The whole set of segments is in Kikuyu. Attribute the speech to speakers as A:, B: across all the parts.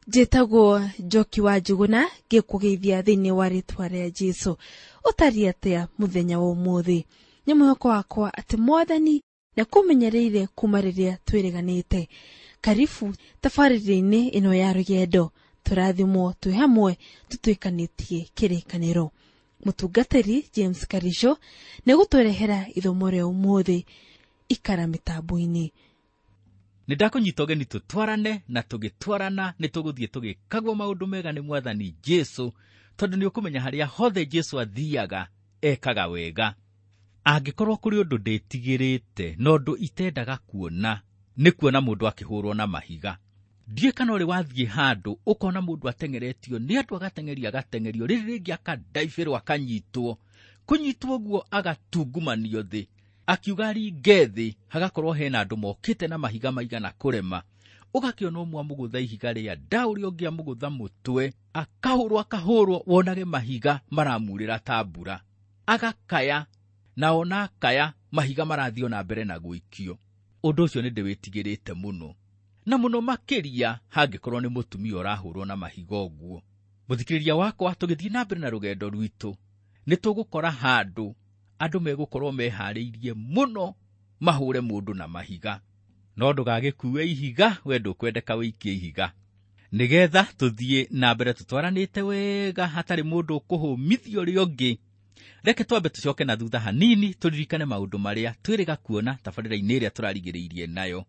A: Njĩtagwo Njoki wa Njuguna, ngĩkũgeithia thĩinĩ wa rĩtwa rĩa Jesũ. Ũtariĩ atĩa mũthenya wa ũmũthĩ? Nĩ mwĩhoko wakwa atĩ Mwathani nĩakũmenyereire kuma rĩrĩa twĩrĩganĩte. Karibu tabarĩra-inĩ ĩno ya rũgendo, tũrathimwo twĩ hamwe tũtuĩkanĩtie kĩrĩkanĩro. Mũtungatĩri James Karisho nĩegũtũrehera ithomo rĩa ũmũthĩ. Ikara mĩtambo-inĩ.
B: Nĩ ndakũnyita ũgeni tũtwarane, na tũgĩtwarana nĩ tũgũthiĩ tũgĩkagwo maũndũ mega nĩ Mwathani Jesũ, tondũ nĩ ũkũmenya harĩa hothe Jesũ athiaga ekaga wega. Angĩkorwo kũrĩ ũndũ ndĩtigĩrĩte na ũndũ itendaga kuona, nĩ kuona mũndũ akĩhũrwo na mahiga. Ndiũĩ kana ũrĩ wathiĩ handũ ũkona mũndũ ateng'eretio nĩ andũ, agateng'erio agateng'erio, rĩrĩ rĩngĩ akandaibĩrwo akanyitwo, kũnyitwo ũguo agatungumanio thĩ, akiuga aringe thĩ, hagakorwo hena andũ mokĩte na mahiga maigana kũrema. Ũgakĩona ũmwe amũgũtha ihiga rĩa nda, ũrĩa ũngĩ amũgũtha mũtwe, akahũrwo akahũrwo, wonage mahiga maramurĩra ta mbura. Agakaya, na ona akaya, mahiga marathiĩ ona mbere na gũikio. Ũndũ ũcio nĩ ndĩwĩtigĩrĩte mũno, na mũno makĩria hangĩkorwo nĩ mũtumia ũrahũrwo na mahiga ũguo. Mũthikĩrĩria wakwa, tũgĩthiĩ na mbere na rũgendo rwitũ, nĩ tũgũkora handũ andũ megũkorwo meharĩirie mũno mahũre mũndũ na mahiga. No ndũgagĩkue ihiga, we ndũkwendeka wĩikie ihiga, nĩgetha tũthiĩ na mbere tũtwaranĩte wega hatarĩ mũndũ ũkũhũmithia ũrĩa ũngĩ. Reke twambe tũcoke na thutha hanini tũririkane maũndũ marĩa twĩrĩga kuona tabarĩra-inĩ ĩrĩa tũrarigĩrĩirie nayo.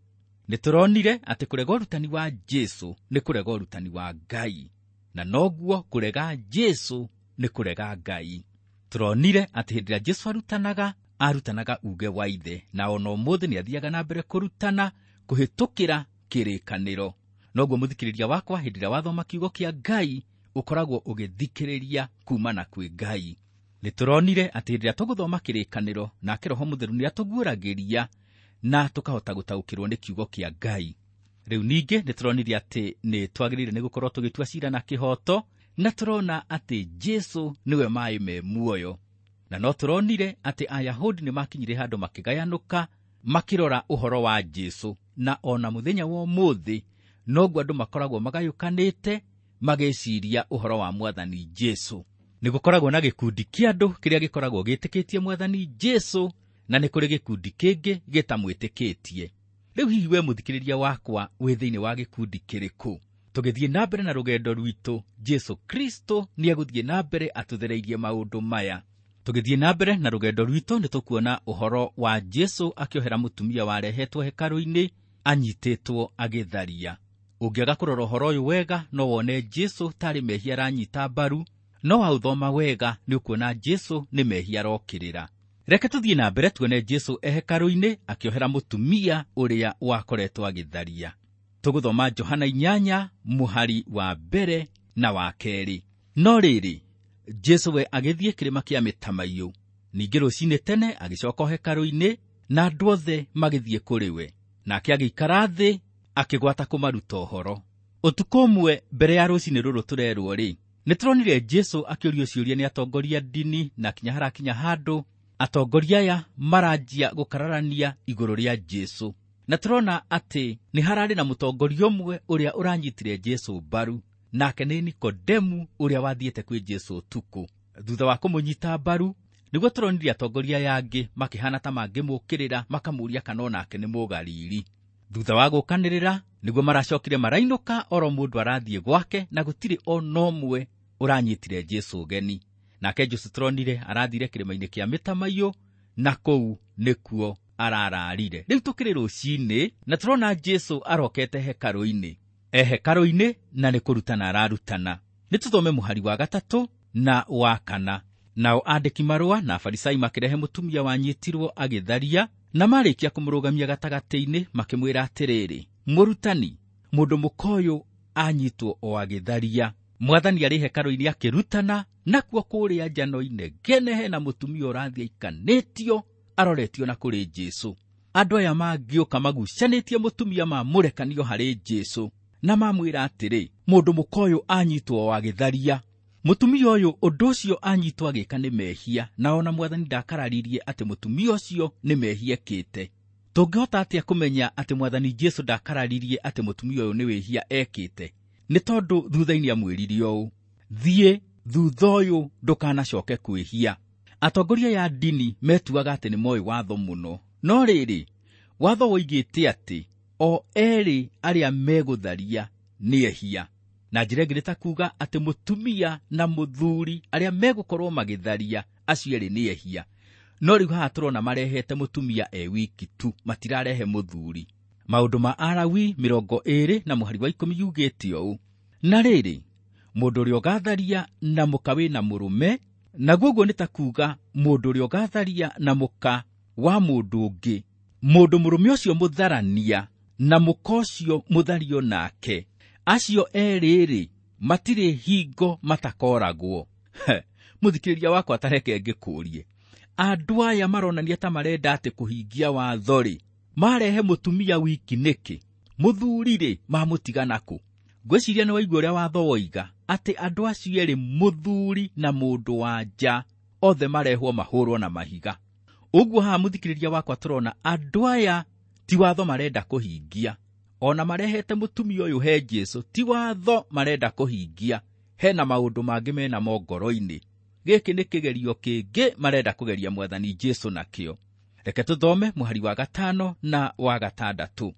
B: Nĩ tũronire atĩ kũrega ũrutani wa Jesũ nĩ kũrega ũrutani wa Ngai, na noguo kũrega Jesũ nĩ kũrega Ngai. Tũronire atĩ hĩndĩ ĩrĩa Jesũ arutanaga, arutanaga uge wa Ithe, na ona ũmũthĩ nĩ athiaga na mbere kũrutana kũhĩtũkĩra kĩrĩkanĩro. Noguo mũthikĩrĩria wakwa, hĩndĩ ĩrĩa wathoma kiugo kĩa Ngai, ũkoragwo ũgĩthikĩrĩria kumana kwĩ Ngai. Nĩ tũronire atĩ hĩndĩ ĩrĩa tũgũthoma kĩrĩkanĩro, nake Roho Mũtheru nĩ atũguũragĩria na tũkahota gũtaũkĩrwo nĩ kiugo kĩa Ngai. Rĩu ningĩ nĩ tũronire atĩ nĩ twagĩrĩire nĩ gũkorwo tũgĩtua cira na kĩhooto, na tũrona atĩ Jesũ nĩwe maĩ me muoyo. Na no tũronire atĩ Ayahudi nĩ makinyire handũ makĩgayanũka makĩrora ũhoro wa Jesũ, na ona mũthenya wa ũmũthĩ noguo andũ makoragwo magayũkanĩte magĩciria ũhoro wa Mwathani Jesũ. Nĩ gũkoragwo na gĩkundi kĩa andũ kĩrĩa gĩkoragwo gĩtĩkĩtie Mwathani Jesũ, na nĩ kũrĩ gĩkundi kĩngĩ gĩtamwĩtĩkĩtie. Rĩu hihi we mũthikĩrĩria wakwa wĩ thĩinĩ wa gĩkundi kĩrĩkũ? Tũgĩthiĩ na mbere na rũgendo rwitũ, Jesũ Kristo nĩ egũthiĩ na mbere atũthereirie maũndũ maya. Tũgĩthiĩ na mbere na rũgendo rwitũ nĩ tũkuona ũhoro wa Jesũ akĩohera mũtumia warehetwo hekarũ-inĩ anyitĩtwo agĩtharia. Ũngĩaga kũrora ũhoro ũyũ wega, no wone Jesũ tarĩ mehia aranyita mbaru, no waũthoma wega nĩ ũkuona Jesũ nĩ mehia arokĩrĩra. Reke tũthiĩ na mbere tuone Jesũ e hekarũ-inĩ akĩohera mũtumia ũrĩa wakoretwo agĩtharia. Tũgũthoma Johana 8 mũhari wa mbere na wa kerĩ. No rĩrĩ, Jesũ we agĩthiĩ kĩrĩma kĩa mĩtamaiyũ. Ningĩ rũcinĩ tene agĩcoka hekarũ-inĩ, na andũ othe magĩthiĩ kũrĩ we. Nake agĩikara thĩ akĩgwata kũmaruta ũhoro. Ũtukũ ũmwe mbere ya rũcinĩ rũrũ tũrerwo rĩ, nĩ tũronire Jesũ akĩũrio ciũria nĩ atongoria ndini, na kinya harakinya handũ atongoria aya maranjia gũkararania igũrũ rĩa Jesũ. Na tũrona atĩ nĩ hararĩ na mũtongoria ũmwe ũrĩa ũranyitire Jesũ mbaru, nake nĩ Nikodemu ũrĩa wathiĩte kwĩ Jesũ ũtukũ. Thutha wa kũmũnyita mbaru, nĩguo tũronire atongoria aya angĩ makĩhana ta mangĩmũkĩrĩra, makamũũria kana onake nĩ Mũgalili. Thutha wa gũkanĩrĩra, nĩguo maracokire marainũka oro mũndũ arathiĩ gwake, na gũtirĩ ona ũmwe ũranyitire Jesũ ũgeni. Nake Jesũ tũronire arathire kĩrĩma-inĩ kĩa mĩtamaiyũ, na kũu nĩkuo arararire. Rĩu tũkĩrĩ rũcinĩ, na tũrona Jesũ arokete hekarũ-inĩ. E hekarũ-inĩ na nĩ kũrutana ararutana. Nĩ tũthome mũhari wa 3 na wa 4. Nao andĩki marũa na Afarisai makĩrehe mũtumia wanyitirwo agĩtharia, na marĩkia kũmũrũgamia gatagatĩ-inĩ makĩmwĩra atĩrĩrĩ, Mũrutani, mũndũ mũka ũyũ anyitwo o agĩtharia. Mwathani arĩ hekarũ-inĩ akĩrutana, nakuo kũrĩa nja no inegene hena mũtumia ũrathiĩ aikanĩtio aroretio na kũrĩ Jesũ. Andũ aya mangĩũka magucanĩtie mũtumia mamũrekanio harĩ Jesũ, na mamwĩra atĩrĩ, mũndũ mũka ũyũ anyitwo o agĩtharia. Mũtumia ũyũ ũndũ ũcio anyitwo agĩka nĩ mehia, na ona Mwathani ndakararirie atĩ mũtumia ũcio nĩ mehia ekĩte. Tũngĩhota atĩa kũmenya atĩ Mwathani Jesũ ndakararirie atĩ mũtumia ũyũ nĩ wĩhia ekĩte? Nĩ tondũ thutha-inĩ amwĩrire ũũ, thiĩ thutha ũyũ ndũkanacoke kwĩhia. Atongoria ya ndini metuaga atĩ nĩ moĩ watho mũno, no rĩrĩ, watho woigĩte atĩ o erĩ arĩa megũtharia nĩ ehia. Na njĩra ĩngĩ nĩ ta kuuga atĩ mũtumia na mũthuri arĩa megũkorwo magĩtharia acio erĩ nĩ ehia. No rĩu haha tũrona marehete mũtumia e wiki tu, matirarehe mũthuri. Maũndũ ma Alawi 20 na mũhari wa 10 yugĩte ũũ, na rĩrĩ, mũndũ ũrĩa ũgatharia na mũka wĩna mũrũme, naguo ũguo nĩ ta kuuga mũndũ ũrĩa ũgatharia na mũka wa mũndũ ũngĩ, mũndũ mũrũme ũcio mũtharania na mũka ũcio mũthario nake, acio erĩ-rĩ matirĩ hingo matakoragwo. Mũthikĩrĩria wakwa, ta reke ngĩkũrie, andũ aya maronania ta marenda atĩ kũhingia watho-rĩ, marehe mũtumia wiki nĩkĩ? Mũthuri-rĩ mamũtigana kũ? Ngwĩciria nĩ waigua ũrĩa watho woiga atĩ andũ acio erĩ, mũthuri na mũndũ wa nja, othe marehwo mahũrwo na mahiga. Ũguo haha mũthikĩrĩria wakwa tũrona andũ aya ti watho marenda kũhingia. Ona marehete mũtumia ũyũ he Jesũ, ti watho marenda kũhingia. Hena maũndũ mangĩ menamo ngoro-inĩ. Gĩkĩ nĩ kĩgerio kĩngĩ marenda kũgeria Mwathani Jesũ nakĩo. Reke tũthome mũhari wa 5 na wa 6.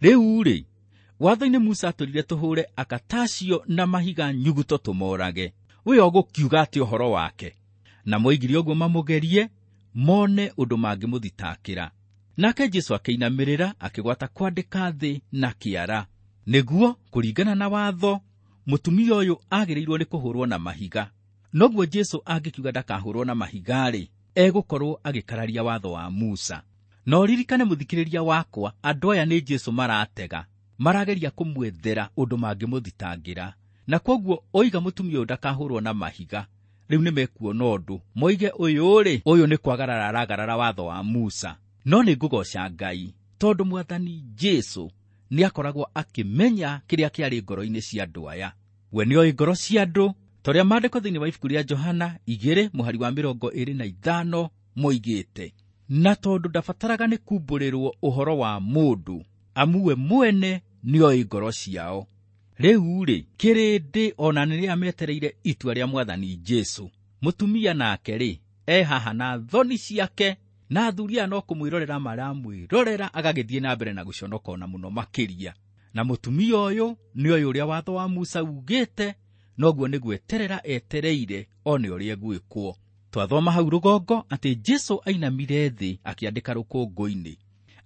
B: Rĩu-rĩ, watho-inĩ Musa atũrire tũhũre akatacio na mahiga nyuguto tũmorage. We ũgũkiuga atĩ ũhoro wake? Na moigire ũguo mamũgerie, mone ũndũ mangĩmũthitakĩra. Nake Jesũ akĩinamĩrĩra, akĩgwata kwandĩka thĩ na kĩara. Nĩguo kũringana na watho, mũtumia ũyũ agĩrĩirwo nĩ kũhũrwo na mahiga. Noguo Jesũ angĩkiuga ndakahũrwo na mahiga-rĩ, egũkorwo agĩkararia watho wa Musa. No ririkane mũthikĩrĩria wakwa, andũ aya nĩ Jesũ maratega, marageria kũmwethera ũndũ mangĩmũthitangĩra. Na kwoguo oiga mũtumia ũyũ ndakahũrwo na mahiga, rĩu nĩmekuona ũndũ, moige ũyũ-rĩ, ũyũ nĩ kwagarara aragarara watho wa Musa. No nĩ ngũgoca Ngai tondũ Mwathani Jesũ nĩakoragwo akĩmenya kĩrĩa kĩarĩ ngoro-inĩ cia andũ aya. We nĩoĩ ngoro cia andũ, ta ũrĩa maandĩko thĩinĩ wa ibuku rĩa Johana 2 mũhari wa 25 moigĩte. Na tondũ ndabataraga nĩ kumbũrĩrwo ũhoro wa mũndũ, amu we mwene nĩoĩ ngoro ciao. Rĩu-rĩ, kĩrĩndĩ ona nĩrĩa metereire itua rĩa Mwathani Jesũ. Mũtumia nake-rĩ, e haha na thoni ciake, na athuri aya no kũmwĩrorera maramwĩrorera, agagĩthiĩ na mbere na gũconoka ona mũno makĩria. Na mũtumia ũyũ nĩoĩ ũrĩa watho wa Musa ugĩte, noguo nĩ gweterera etereire one ũrĩa egwĩkwo. Twathoma hau rũgongo atĩ Jesũ ainamire thĩ akĩandĩka rũkũngũ-inĩ.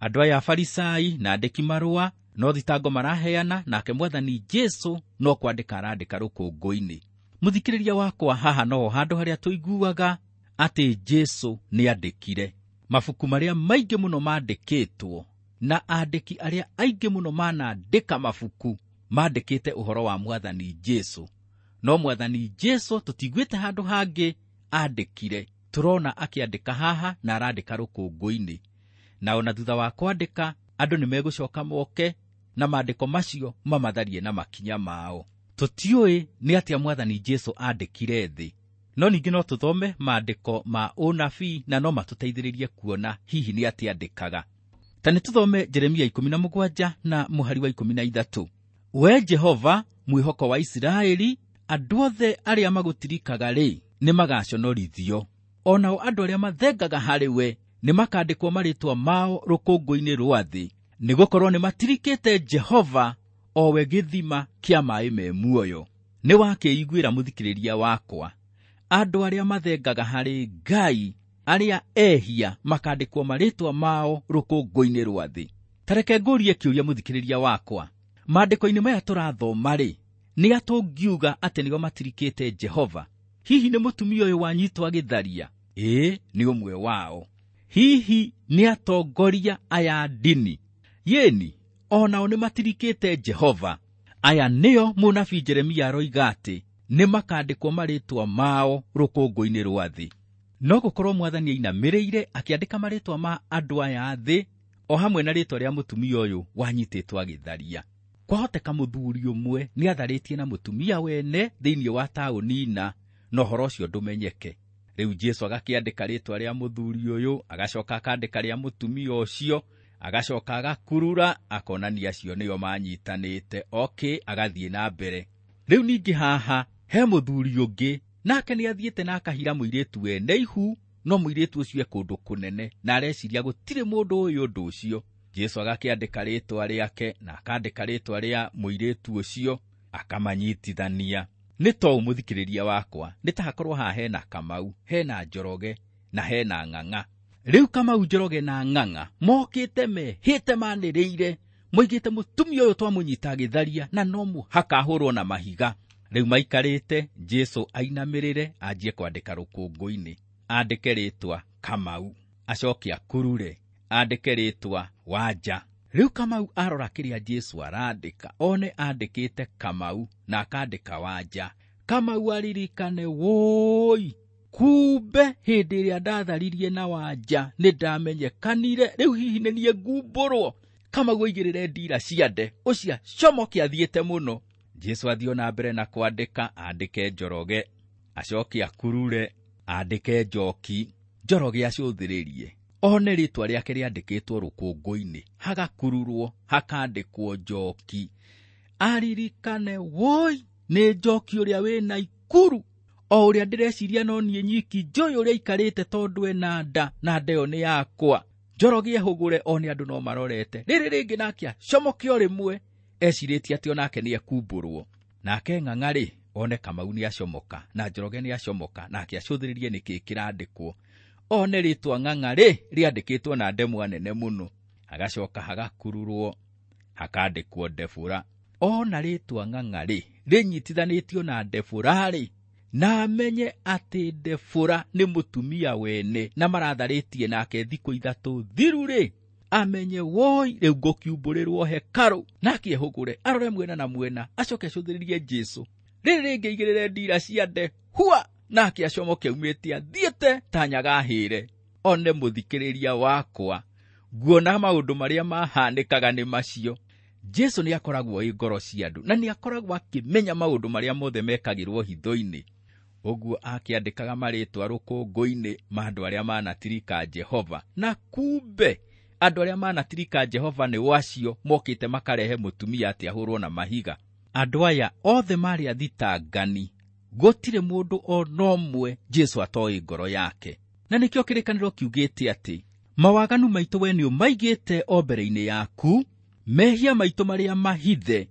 B: Andũ aya Afarisai na andĩki marũa no thitango maraheana, nake Mwathani Jesũ no kwandĩka arandĩka rũkũngũ-inĩ. Mũthikĩrĩria wakwa, haha noho handũ harĩa tũiguaga atĩ Jesũ nĩandĩkire. Mabuku marĩa maingĩ mũno mandĩkĩtwo na andĩki arĩa aingĩ mũno manandĩka mabuku mandĩkĩte ũhoro wa Mwathani Jesũ. No Mwathani Jesũ tũtiguĩte handũ hangĩ andĩkire. Tũrona akĩandĩka haha na arandĩka rũkũngũ-inĩ. Na ona thutha wa kwandĩka, andũ nĩmegũcoka moke na maandĩko macio mamatharie na makinya mao. Tũtiũĩ nĩ atĩa Mwathani Jesũ andĩkire thĩ, no ningĩ no tũthome maandĩko ma ũnabii na no matũteithĩrĩrie kuona hihi nĩ atĩa andĩkaga. Ta nĩ tũthome Jeremia 17 na mũhari wa 13. We Jehova, mwĩhoko wa Isiraeli, andũ othe arĩa magũtirikaga rĩ, nĩmagaconorithio. O nao andũ arĩa mathengaga harĩ we nĩmakandĩkwo marĩĩtwa mao rũkũngũ-inĩ rwa thĩ, nĩgũkorwo nĩmatirikĩte Jehova, o we gĩthima kĩa maaĩ me muoyo. Nĩwakĩiguĩra mũthikĩrĩria wakwa, andũ arĩa mathengaga harĩ Ngai, arĩa ehia makandĩkwo marĩĩtwa mao rũkũngũ-inĩ rwa thĩ. Ta reke ngũrie kĩũria mũthikĩrĩria wakwa, maandĩko-inĩ maya tũrathoma-rĩ, nĩ atũngiuga atĩ nĩo matirikĩte Jehova? Hihi nĩ mũtumia ũyũ wanyitwo agĩtharia? Ĩĩ, nĩ ũmwe wao. Hihi nĩ atongoria aya ndini? Yĩni, o nao nĩ matirikĩte Jehova. Aya nĩo mũnabii Jeremia aroiga atĩ nĩmakandĩkwo marĩĩtwa mao rũkũngũ-inĩ rwa thĩ. No gũkorwo Mwathani ainamĩrĩire akĩandĩka marĩĩtwa ma andũ aya thĩ, o hamwe na rĩĩtwa rĩa mũtumia ũyũ wanyitĩtwo agĩtharia. Kwahoteka mũthuri ũmwe nĩatharĩtie na mũtumia wene thĩinĩ wa taũni na ũhoro ũcio ndũmenyeke. Rĩu Jesũ agakĩandĩka rĩĩtwa rĩa mũthuri ũyũ, agacoka akandĩka rĩa mũtumia ũcio, Agacoka agakurura akonania acio nĩo manyitanĩte. Okay, agathiĩ na mbere. Rĩu ningĩ haha he mũthuri ũngĩ nake nĩ athiĩte na akahira mũirĩtu wene ihu, no mũirĩtu ũcio e kũndũ kũnene na areciria gũtirĩ mũndũ ũyũ ũndũ ũcio. Jesu agakĩandĩka rĩtwa rĩake na akandĩka rĩtwa rĩa mũirĩtu ũcio akamanyitithania. Nĩ to mũthikĩrĩria wakwa, nĩ ta hakorwo haha hena Kamau, hena Njoroge na hena Ng'ang'a. Rĩu Kamau, Njoroge na Ng'ang'a mokĩte mehĩte manĩrĩire, moigĩte mũtumia ũyũ twamũnyita agĩtharia na no mũhaka ahũrwo na mahiga. Rĩu maikarĩte, Jesu ainamĩrĩre anjie kwandĩka rũkũngũ-inĩ, andĩke rĩtwa Kamau, acoke akurure andĩke rĩtwa Wanja. Rĩu Kamau arora kĩrĩa Jesu arandĩka, one andĩkĩte Kamau na akandĩka Wanja. Kamau aririkane, woi, kumbe hĩndĩ ĩrĩa ndatharirie na Wanja nĩ ndamenyekanire, rĩu hihi nĩ niĩ ngumbũrwo. Kamau aigĩrĩre ndira ciande, ũcio acomoke athiĩte mũno. Jesu athiĩ na mbere na kwandĩka, andĩke Njoroge, acoke akurure andĩke Njoki. Njoroge acũthĩrĩrie one rĩtwa rĩake rĩandĩkĩtwo rũkũngũ-inĩ, hagakururwo hakandĩkwo Njoki. Aririkane, woi, nĩ Njoki ũrĩa wĩna ikuru, o ũrĩa ndĩreciria no niĩ nyiki njũĩ ũrĩa aikarĩte tondũ ena nda na nda ĩyo nĩ yakwa. Njoroge ehũgũre one andũ no marorete. Rĩrĩ rĩngĩ nake acomoke o rĩmwe, ecirĩtie atĩ onake nĩ ekumbũrwo. Nake Ng'ang'a rĩ, one Kamau nĩ acomoka na Njoroge nĩ acomoka, nake acũthĩrĩrie nĩkĩ kĩrandĩkwo. One rĩtwa Ng'ang'a rĩ rĩandĩkĩtwo na ndemwa nene mũno, hagacoka hagakururwo hakandĩkwo Ndebũra. Ona rĩtwa Ng'ang'a rĩ rĩnyitithanĩtio na Ndebũra rĩ, na amenye atĩ Ndebũra nĩ mũtumia wene na maratharĩtie nake thikũ 3 thiru rĩ, amenye woi, rĩu ngũkiumbũrĩrwo hekarũ. Nake ehũgũre arore mwena na mwena, acoke acũthĩrĩrie Jesu. Rĩrĩ rĩngĩ aigĩrĩre ndira ciande hua, nake acomoke aumĩte athiĩte ta nyagahĩre. One mũthikĩrĩria wakwa, nguona maũndũ marĩa mahanĩkaga nĩ macio. Jesu nĩ akoragwo ĩ ngoro cia andũ na nĩ akoragwo akĩmenya maũndũ marĩa mothe mekagĩrwo hitho-inĩ. Ũguo akĩandĩkaga marĩtwa rũkũngũ-inĩ ma andũ arĩa manatirika Jehova, na kumbe andũ arĩa manatirika Jehova nĩ acio mokĩte makarehe mũtumia atĩ ahũrwo na mahiga. Andũ aya othe marĩ athitangani, gũtirĩ mũndũ ona ũmwe Jesu atoĩ ngoro yake. Na nĩkĩo kĩrĩkanĩro kiugĩte atĩ mawaganu maitũ we nĩ ũmaigĩte o mbere-inĩ yaku, mehia maitũ marĩa mahithe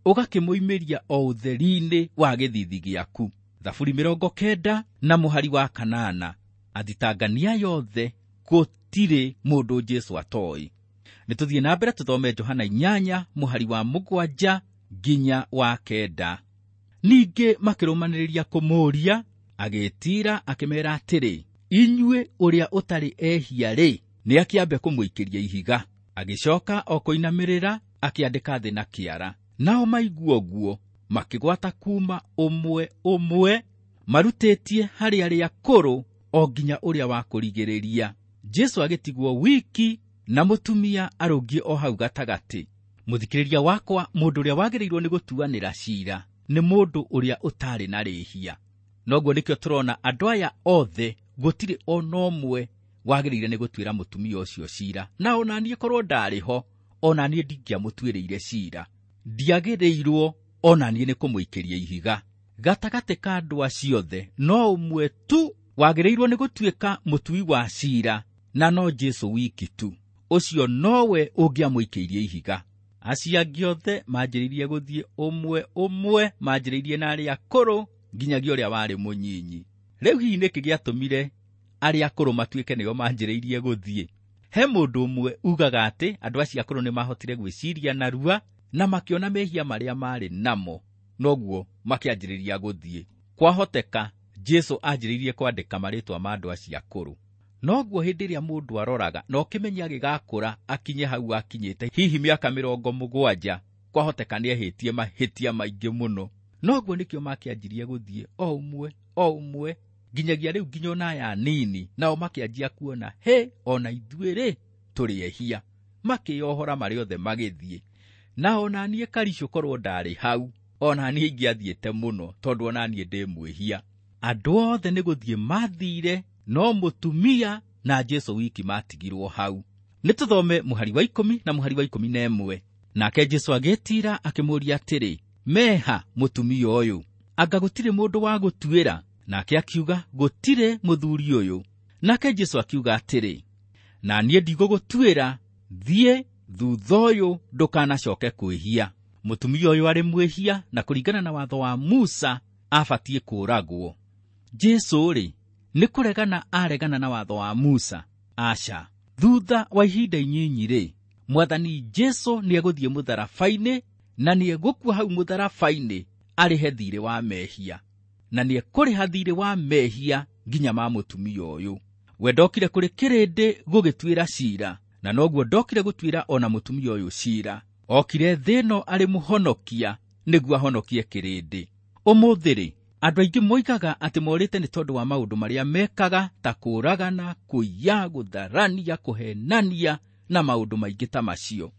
B: ũgakĩmoimĩria o ũtheri-inĩ wa gĩthithi gĩaku. Thaburi 90 na mũhari wa 8. Athitangania yothe gũtirĩ mũndũ Jesu atoĩ. Nĩ tũthiĩ na mbere tũthome Johana 8 mũhari wa 7 nginya wa 9. Ningĩ makĩrũmanĩrĩria kũmũũria, agĩĩtiira akĩmeera atĩrĩ, inyuĩ ũrĩa ũtarĩ ehia rĩ, nĩ akĩambe kũmũikĩria ihiga. Agĩcoka o kũinamĩrĩra akĩandĩka thĩ na kĩara. Nao maigua ũguo makĩgwata kuma ũmwe ũmwe, marutĩtie harĩ arĩa akũrũ o nginya ũrĩa wa kũrigĩrĩria. Jesu agĩtigwo wiki na mũtumia arũngiĩ o hau gatagatĩ. Mũthikĩrĩria wakwa, mũndũ ũrĩa wagĩrĩirwo nĩ gũtuanĩra cira nĩ mũndũ ũrĩa ũtarĩ na rĩhia. Noguo nĩkĩo tũrona andũ aya othe gũtirĩ ona ũmwe wagĩrĩire nĩ gũtuĩra mũtumia ũcio cira. Na ona niĩ korwo ndarĩ ho, ona niĩ ndingĩamũtuĩrĩire cira. Ndiagĩrĩirwo ona niĩ nĩ kũmũikĩria ihiga. Gatagatĩ ka andũ acio othe no ũmwe tu wagĩrĩirwo nĩ gũtuĩka mũtui wa cira, na no Jesu wiki tu. Ũcio nowe ũngĩamũikĩirie ihiga. Acio angĩ othe manjĩrĩirie gũthiĩ ũmwe ũmwe, manjĩrĩirie na arĩa akũrũ nginyagia ũrĩa warĩ mũnyinyi. Rĩu hihi nĩkĩ gĩatũmire arĩa akũrũ matuĩke nĩo manjĩrĩirie gũthiĩ? He mũndũ ũmwe ugaga atĩ andũ acio akũrũ nĩmahotire gwĩciria narua na makĩona mehia marĩa marĩ namo, noguo makĩanjĩrĩria gũthiĩ. Kwahoteka Jesu anjĩrĩirie kwandĩka marĩtwa ma andũ acio akũrũ. Noguo hĩndĩ ĩrĩa mũndũ aroraga na ũkĩmenya agĩgakũra akinye hau akinyĩte, hihi mĩaka 70, kwahoteka nĩehĩtie mahĩtia maingĩ mũno. Noguo nĩkĩo makĩanjirie gũthiĩ o ũmwe o ũmwe nginyagia rĩu nginya ona aya anini, nao makĩanjia kuona, he, ona ithuĩ rĩ tũrĩ ehia. Makĩyohora marĩ othe magĩthiĩ. Na ona niĩ Karicũ korwo ndarĩ hau, ona niĩ ingĩathiĩte mũno, tondũ ona niĩ ndĩ mwĩhia. Andũ othe nĩ gũthiĩ mathire, no mũtumia na Jesu wiki matigirwo hau. Nĩ tũthome mũhari wa 10 na mũhari wa 11. Nake Jesũ agĩĩtiira akĩmũũria atĩrĩ, meha mũtumia ũyũ, anga gũtirĩ mũndũ wa gũtuĩra? Nake akiuga, gũtirĩ mũthuri ũyũ. Nake Jesũ akiuga atĩrĩ, na niĩ ndigũgũtuĩra, thiĩ thutha ũyũ ndũkanacoke kwĩhia. Mũtumia ũyũ arĩ mwĩhia na kũringana na watho wa Musa abatiĩ kũũragwo. Jesũ rĩ, nĩ kũregana aregana na watho wa Musa? Aca. Thutha wa ihinda inyinyi rĩ, Mwathani Jesũ nĩegũthiĩ mũtharaba-inĩ na nĩegũkua hau mũtharaba-inĩ arĩhe thiirĩ wa mehia, na nĩekũrĩha thiirĩ wa mehia nginya ma mũtumia ũyũ. We ndokire kũrĩ kĩrĩndĩ gũgĩtuĩra ciira, na noguo ndokire gũtuĩra ona mũtumia ũyũ ciira. Okire thĩ ĩno arĩ mũhonokia nĩguo ahonokie kĩrĩndĩ. Ũmũthĩ rĩ, andũ aingĩ moigaga atĩ morĩte nĩ tondũ wa maũndũ marĩa mekaga ta kũũragana, kũiya, gũtharania, kũhenania na maũndũ maingĩ ta macio.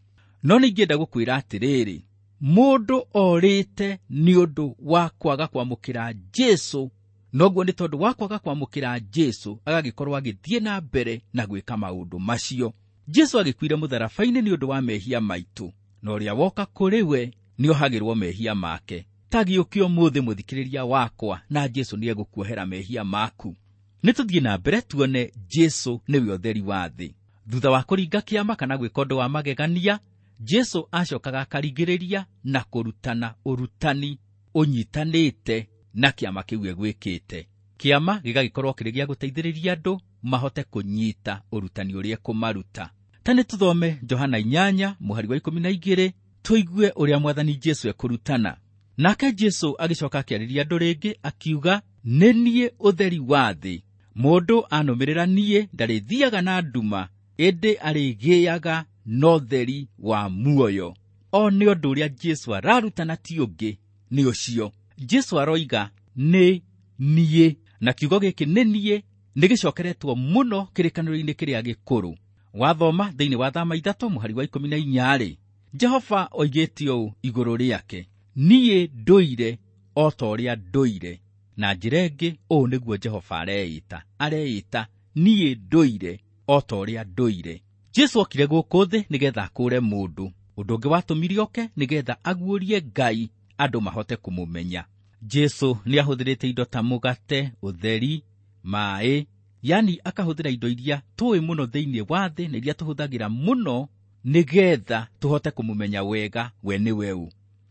B: No nĩingĩenda gũkwĩra atĩrĩrĩ, mũndũ orĩte nĩ ũndũ wa kwaga kwamũkĩra Jesũ, noguo nĩ tondũ wa kwaga kwamũkĩra Jesũ agagĩkorwo agĩthiĩ na mbere na gwĩka maũndũ macio. Jesũ agĩkuire mũtharaba-inĩ nĩ ũndũ wa mehia maitũ, na ũrĩa woka kũrĩ we nĩohagĩrwo mehia make. Ta gĩũke ũmũthĩ mũthikĩrĩria wakwa, na Jesũ nĩegũkuohera mehia maku. Nĩ tũthiĩ na mbere tuone Jesũ nĩwe ũtheri wa thĩ. Thutha wa kũringa kĩama kana gwĩka ũndũ wa magegania, Jesũ acokaga akaringĩrĩria na kũrutana ũrutani ũnyitanĩte na kĩama kĩu egwĩkĩte. Kĩama gĩgagĩkorwo kĩrĩ gĩa gũteithĩrĩria andũ mahote kũnyita ũrutani ũrĩa ekũmaruta. Ta nĩ tũthome Johana 8 mũhari wa 12 tũigue ũrĩa Mwathani Jesũ ekũrutana. Nake Jesũ agĩcoka akĩarĩria andũ rĩngĩ akiuga, nĩ niĩ ũtheri wa thĩ. Mũndũ anũmĩrĩra niĩ ndarĩthiaga na nduma, ĩndĩ arĩgĩaga na ũtheri wa muoyo. O nĩ ũndũ ũrĩa Jesũ ararutana ti ũngĩ nĩ ũcio. Jesũ aroiga nĩ niĩ, na kiugo gĩkĩ nĩ niĩ nĩ gĩcokeretwo mũno kĩrĩkanĩro-inĩ kĩrĩa gĩkũrũ. Wathoma thĩinĩ wa Thama 3 mũhari wa 14 rĩ, Jehova oigĩte ũũ igũrũ rĩake, niĩ ndũire o ta ũrĩa ndũire. Na njĩra ĩngĩ, ũũ nĩguo Jehova areĩta, areĩta niĩ ndũire o ta ũrĩa ndũire. Jesũ okire gũkũ thĩ nĩgetha akũũre mũndũ. Ũndũ ũngĩ watũmire oke nĩgetha aguũrie Ngai andũ mahote kũmũmenya. Jesũ nĩahũthĩrĩte indo ta mũgate, ũtheri, maĩ, yani akahũthĩra indo iria tũĩ mũno thĩinĩ wa thĩ na iria tũhũthagĩra mũno nĩgetha tũhote kũmũmenya wega we nĩwe ũ.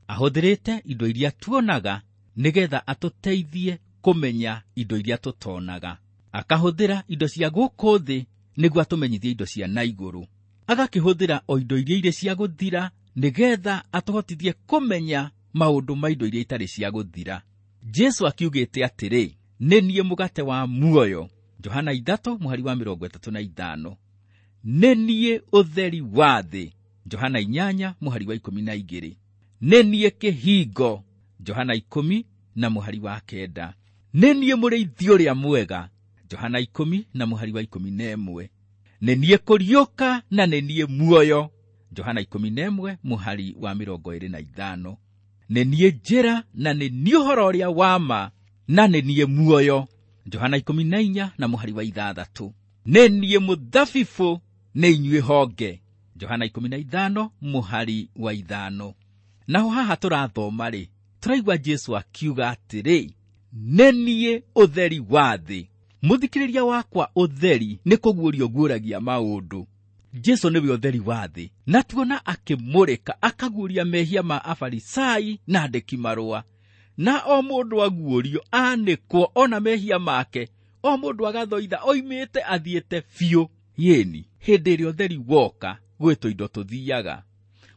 B: Ahũthĩrĩte indo iria tuonaga nĩgetha atũteithie kũmenya indo iria tũtonaga. Akahũthĩra indo cia gũkũ thĩ nĩguo atũmenyithie indo cia na igũrũ. Agakĩhũthĩra o indo iria irĩ cia gũthira nĩgetha atũhotithie kũmenya maũndũ ma indo iria itarĩ cia gũthira. Jesũ akiugĩte atĩrĩ, nĩ niĩ mũgate wa muoyo. Johana 3 mũhari wa 35. Nĩ niĩ ũtheri wa thĩ. Johana 8 mũhari wa 12. Nĩ niĩ kĩhingo. Johana 10 na mũhari wa 9. Nĩ niĩ mũrĩithi ũrĩa mwega. Johana 10 na mũhari wa 11. Nĩ niĩ kũriũka na nĩ niĩ muoyo. Johana 11 mũhari wa 25. Nĩ niĩ njĩra na nĩ niĩ ũhoro ũrĩa wa ma na nĩ niĩ muoyo. Johana 14 na mũhari wa 6. Nĩ niĩ mũthabibũ, nĩ inyuĩ honge. Johana 15 mũhari wa 5. Naho haha tũrathoma rĩ, tũraigua Jesũ akiuga atĩrĩ, nĩ niĩ ũtheri wa thĩ. Mũthikĩrĩria wakwa, ũtheri nĩ kũguũrio guũragia maũndũ. Jesũ nĩwe ũtheri wa thĩ, na tuona akĩmũrĩka akaguũria mehia ma Afarisai na andĩki marũa. Na o mũndũ aguũrio anĩkwo ona mehia make, o mũndũ agathoitha oimĩte athiĩte biũ. Yĩni hĩndĩ ĩrĩa ũtheri woka gwĩ tũindo tũthiaga.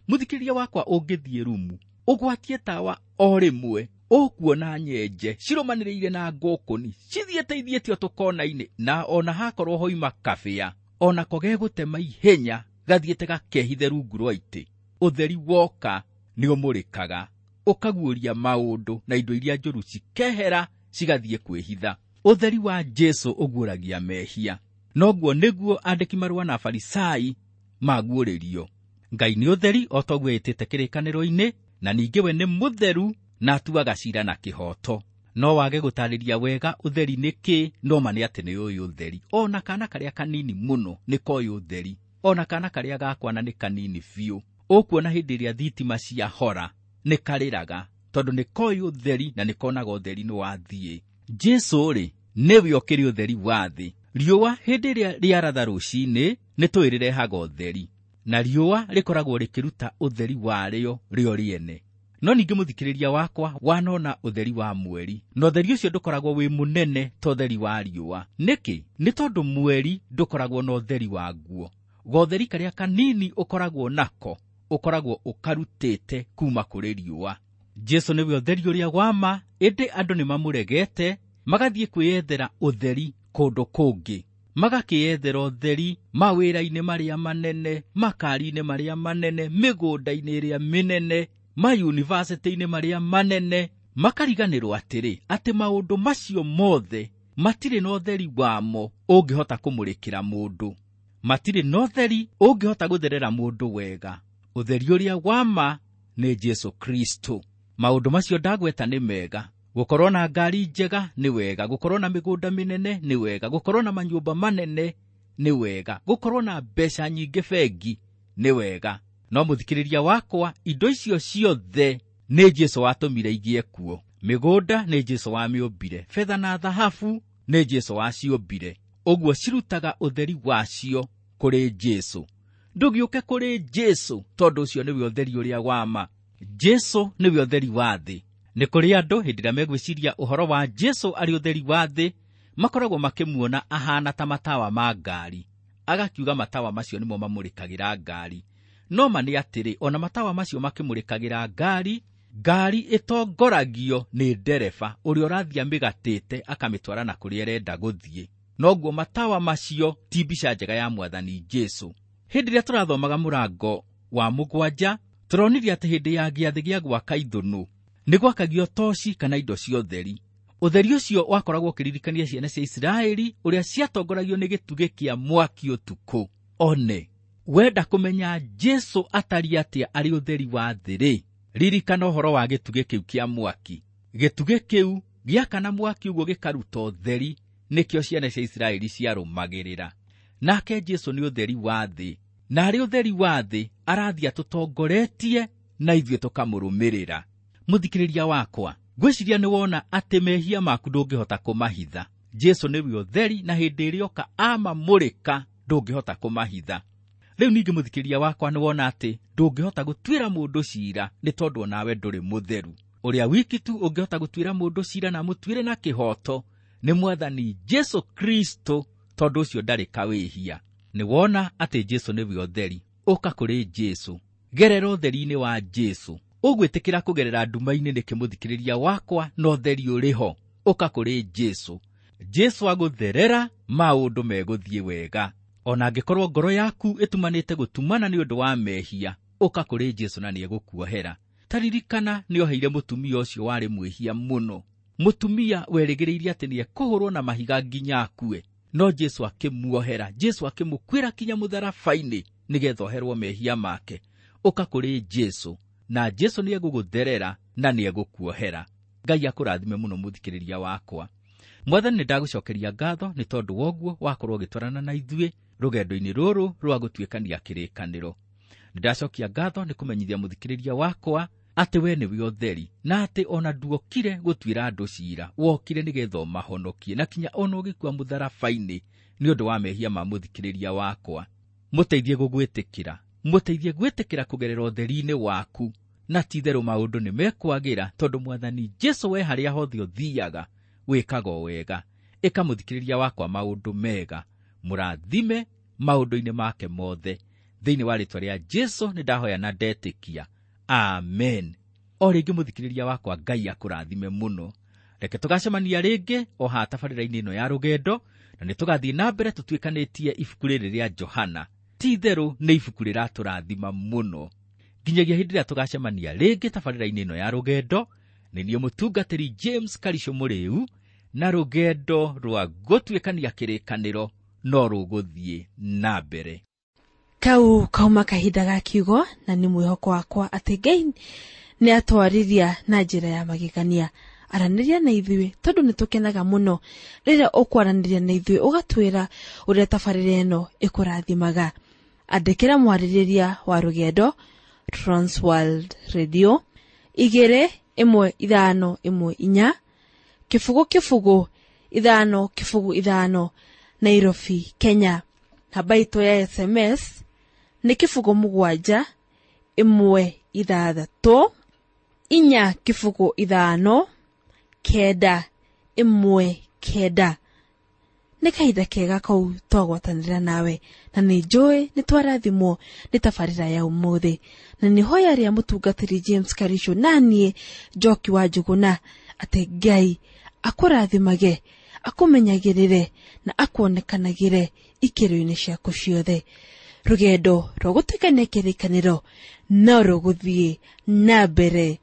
B: Mũthikĩrĩria wakwa, ũngĩthiĩ rumu ũgwatie tawa o rĩmwe, ũkuona nyenje cirũmanĩrĩire na ngũkũni cithiĩte ithiĩte o tũkona-inĩ, na ona hakorwo hoima kabĩa onako gegũtema ihenya gathiĩte gakehithe rungu rwa itĩ. Ũtheri woka nĩũmũrĩkaga, ũkaguũria maũndũ na indo iria njũru cikehera cigathiĩ kwĩhitha. Ũtheri wa Jesũ ũguũragia mehia. Noguo nĩguo andĩki marũa na Afarisai maguũrĩrio. Ngai nĩ ũtheri o ta ũguo ĩtĩte kĩrĩkanĩro-inĩ, na ningĩ we nĩ mũtheru na atuaga ciira na kĩhooto. No wage gũtarĩria wega ũtheri nĩ kĩ, no ma nĩ atĩ nĩ ũyũ ũtheri. Ona kana karĩa kanini mũno nĩ koĩ ũtheri. Ona kana karĩa gakwana nĩ kanini biũ, ũkuona hĩndĩ ĩrĩa thitima ciahora nĩ karĩraga, tondũ nĩ koĩ ũtheri na nĩ konaga ũtheri nĩ wathiĩ. Jesũ-rĩ, nĩwe ũkĩrĩ ũtheri wa thĩ. Riũa hĩndĩ ĩrĩa rĩaratha rũcinĩ nĩ tũĩ rĩrehaga ũtheri, na riũa rĩkoragwo rĩkĩruta ũtheri warĩo rĩo rĩene. No ningĩ mũthikĩrĩria wakwa wanona ũtheri wa mweri, na ũtheri ũcio ndũkoragwo wĩ mũnene ta ũtheri wa riũa. Nĩkĩ? Nĩ tondũ mweri ndũkoragwo na ũtheri waguo. Gotheri karĩa kanini ũkoragwo nako ũkoragwo ũkarutĩte kuma kũrĩ riũa. Jesũ nĩwe ũtheri ũrĩa wa ma, ĩndĩ andũ nĩ mamũregete, magathiĩ kwĩyethera ũtheri kũndũ kũngĩ. Magakĩyethera ũtheri mawĩra-inĩ marĩa manene, makari-inĩ marĩa manene, mĩgũnda-inĩ ĩrĩa mĩnene, mayunivasĩtĩ-inĩ marĩa manene. Makariganĩrwo atĩrĩ, atĩ maũndũ macio mothe matirĩ na ũtheri wamo ũngĩhota kũmũrĩkĩra mũndũ. Matirĩ na ũtheri ũngĩhota gũtherera mũndũ wega. Ũtheri ũrĩa wa ma nĩ Jesũ Kristo. Maũndũ macio ndagweta nĩ mega. Gũkorwo na ngari njega nĩ wega, gũkorwo na mĩgũnda mĩnene nĩ wega, gũkorwo na manyũmba manene nĩ wega, gũkorwo na mbeca nyingĩ bengi nĩ wega. No mũthikĩrĩria wakwa, indo icio ciothe nĩ Jesũ watũmire igĩe kuo. Mĩgũnda nĩ Jesũ wamĩũmbire, betha na thahabu nĩ Jesũ waciũmbire. Ũguo cirutaga ũtheri wacio kũrĩ Jesũ. Ndũgĩũke kũrĩ Jesũ, tondũ ũcio nĩwe ũtheri ũrĩa wa ma. Jesũ nĩwe ũtheri wa thĩ. Nĩ kũrĩ andũ hĩndĩ ĩrĩa megwĩciria ũhoro wa Jesũ arĩ ũtheri wa thĩ, makoragwo makĩmuona ahana ta matawa ma ngari. Agakiuga matawa macio nĩmo mamũrĩkagĩra ngari. No ma nĩ atĩrĩ, ona matawa macio makĩmũrĩkagĩra ngari, ngari ĩtongoragio nĩ ndereba ũrĩa ũrathiĩ amĩgatĩte akamĩtwara na kũrĩa ĩrenda gũthiĩ. Noguo matawa macio ti mbica njega ya Mwathani Jesũ. Hĩndĩ ĩrĩa tũrathomaga mũrango wa 7, tũronire atĩ hĩndĩ ya gĩathĩ gĩa gwaka ithũnũ nĩ gwakagio toci kana indo cia ũtheri. Ũtheri ũcio wakoragwo ũkĩririkania ciana cia Isiraeli ũrĩa ciatongoragio nĩ gĩtugĩ kĩa mwaki ũtukũ. One, wenda kũmenya Jesũ atariĩ atĩa arĩ ũtheri wa thĩ-rĩ, ririkana ũhoro wa gĩtugĩ kĩu kĩa mwaki. Gĩtugĩ kĩu gĩakana mwaki ũguo gĩkaruta ũtheri, nĩkĩo ciana cia Isiraeli ciarũmagĩrĩra. Nake Jesũ nĩ ũtheri wa thĩ, na arĩ ũtheri wa thĩ arathiĩ atũtongoretie na ithuĩ tũkamũrũmĩrĩra. Mũthikĩrĩria wakwa, ngwĩciria nĩ wona atĩ mehia maku ndũngĩhota kũmahitha. Jesũ nĩwe ũtheri, na hĩndĩ ĩrĩa oka amamũrĩka ndũngĩhota kũmahitha. Rĩu ningĩ mũthikĩrĩria wakwa nĩ wona atĩ ndũngĩhota gũtuĩra mũndũ cira nĩ tondũ onawe ndũrĩ mũtheru. Ũrĩa wiki tu ũngĩhota gũtuĩra mũndũ cira na amũtuĩre na kĩhooto nĩ Mwathani Jesũ Kristo, tondũ ũcio ndarĩ kawĩhia. Nĩ wona atĩ Jesũ nĩwe ũtheri. Ũka kũrĩ Jesũ, gerera ũtheri-inĩ wa Jesũ. Ũgwĩtĩkĩra kũgerera nduma-inĩ nĩkĩ mũthikĩrĩria wakwa, na ũtheri ũrĩ ho? Ũka kũrĩ Jesũ. Jesũ agũtherera, maũndũ megũthiĩ wega. Ona angĩkorwo ngoro yaku ĩtumanĩte gũtumana nĩ ũndũ wa mehia, ũka kũrĩ Jesũ na nĩegũkuohera. Ta ririkana nĩoheire mũtumia ũcio warĩ mwĩhia mũno, mũtumia werĩgĩrĩire atĩ nĩekũhũrwo na mahiga nginya akue, no Jesũ akĩmuohera. Jesũ akĩmũkuĩra kinya mũtharaba-inĩ nĩgetha oherwo mehia make. Ũka kũrĩ Jesũ, na Jesũ nĩegũgũtherera na nĩegũkuohera. Ngai akũrathime mũno mũthikĩrĩria wakwa. Mwathani, nĩndagũcokeria ngatho nĩ tondũ woguo wakorwo ũgĩtwarana na ithuĩ rũgendo-inĩ rũrũ rwa gũtuĩkania kĩrĩkanĩro. Nĩndacokia ngatho nĩ kũmenyithia mũthikĩrĩria wakwa atĩ we nĩwe ũtheri, na atĩ ona nduokire gũtuĩra andũ cira, wokire nĩgetha ũmahonokie, na kinya ona ũgĩkua mũtharaba-inĩ nĩ ũndũ wa mehia ma mũthikĩrĩria wakwa. Mũteithie gũgwĩtĩkĩra, mũteithie gwĩtĩkĩra kũgerera ũtheri-inĩ waku, na ti-itherũ maũndũ nĩ mekwagĩra, tondũ Mwathani Jesũ we harĩa hothe ũthiaga wĩkaga o wega. Ĩka mũthikĩrĩria wakwa maũndũ mega, mũrathime maũndũ-inĩ make mothe. Thĩinĩ wa rĩĩtwa rĩa Jesũ nĩndahoya na ndetĩkia, amen. O rĩngĩ mũthikĩrĩria wakwa, Ngai akũrathime mũno. Reke tũgacemania rĩngĩ o haha tabarĩra-inĩ ĩno ya rũgendo, na nĩtũgathiĩ na mbere tũtuĩkanĩtie ibuku rĩrĩ rĩa Johana. Ti-itherũ nĩ ibuku rĩratũrathima mũno. Nginyagia hĩndĩ ĩrĩa tũgacemania rĩngĩ tabarĩra-inĩ ĩno ya rũgendo, nĩ niĩ mũtungatĩri James Karisho Mũrĩu, na rũgendo rwa gũtuĩkania kĩrĩkanĩro no rũgũthiĩ na mbere.
A: Kau kauma kahinda ga kiugo, na nĩ mwĩhoko wakwa atĩ Ngai nĩ atwarĩria na njĩra ya magegania. Aranĩria na ithuĩ tondũ nĩ tũkenaga mũno rĩrĩa ũkwaranĩria na ithuĩ, ũgatwĩra ũrĩa tabarĩra ĩno ĩkũrathimaga. Andĩkĩra mwarĩrĩria wa rũgendo Transworld Radio 21514 0 0 5 0 5 Nairobi, Kenya. Namba itũ ya SMS nĩ 0 7 1 6 4 0 5 9 1 9. Nĩ kahinda kega kau twagwatanĩra nawe, na nĩ njũĩ nĩ twarathimwo nĩ tabarĩra ya ũmũthĩ, na nĩ hoya rĩa mũtungatĩri James Karisho naniĩ Njoki wa Njũgũna atĩ Ngai akũrathimage, akũmenyagĩrĩre na akuonekanagĩre ikĩro-inĩ ciaku ciothe. Rũgendo rwa gũtuĩkania kĩrĩkanĩro no rũgũthiĩ na mbere.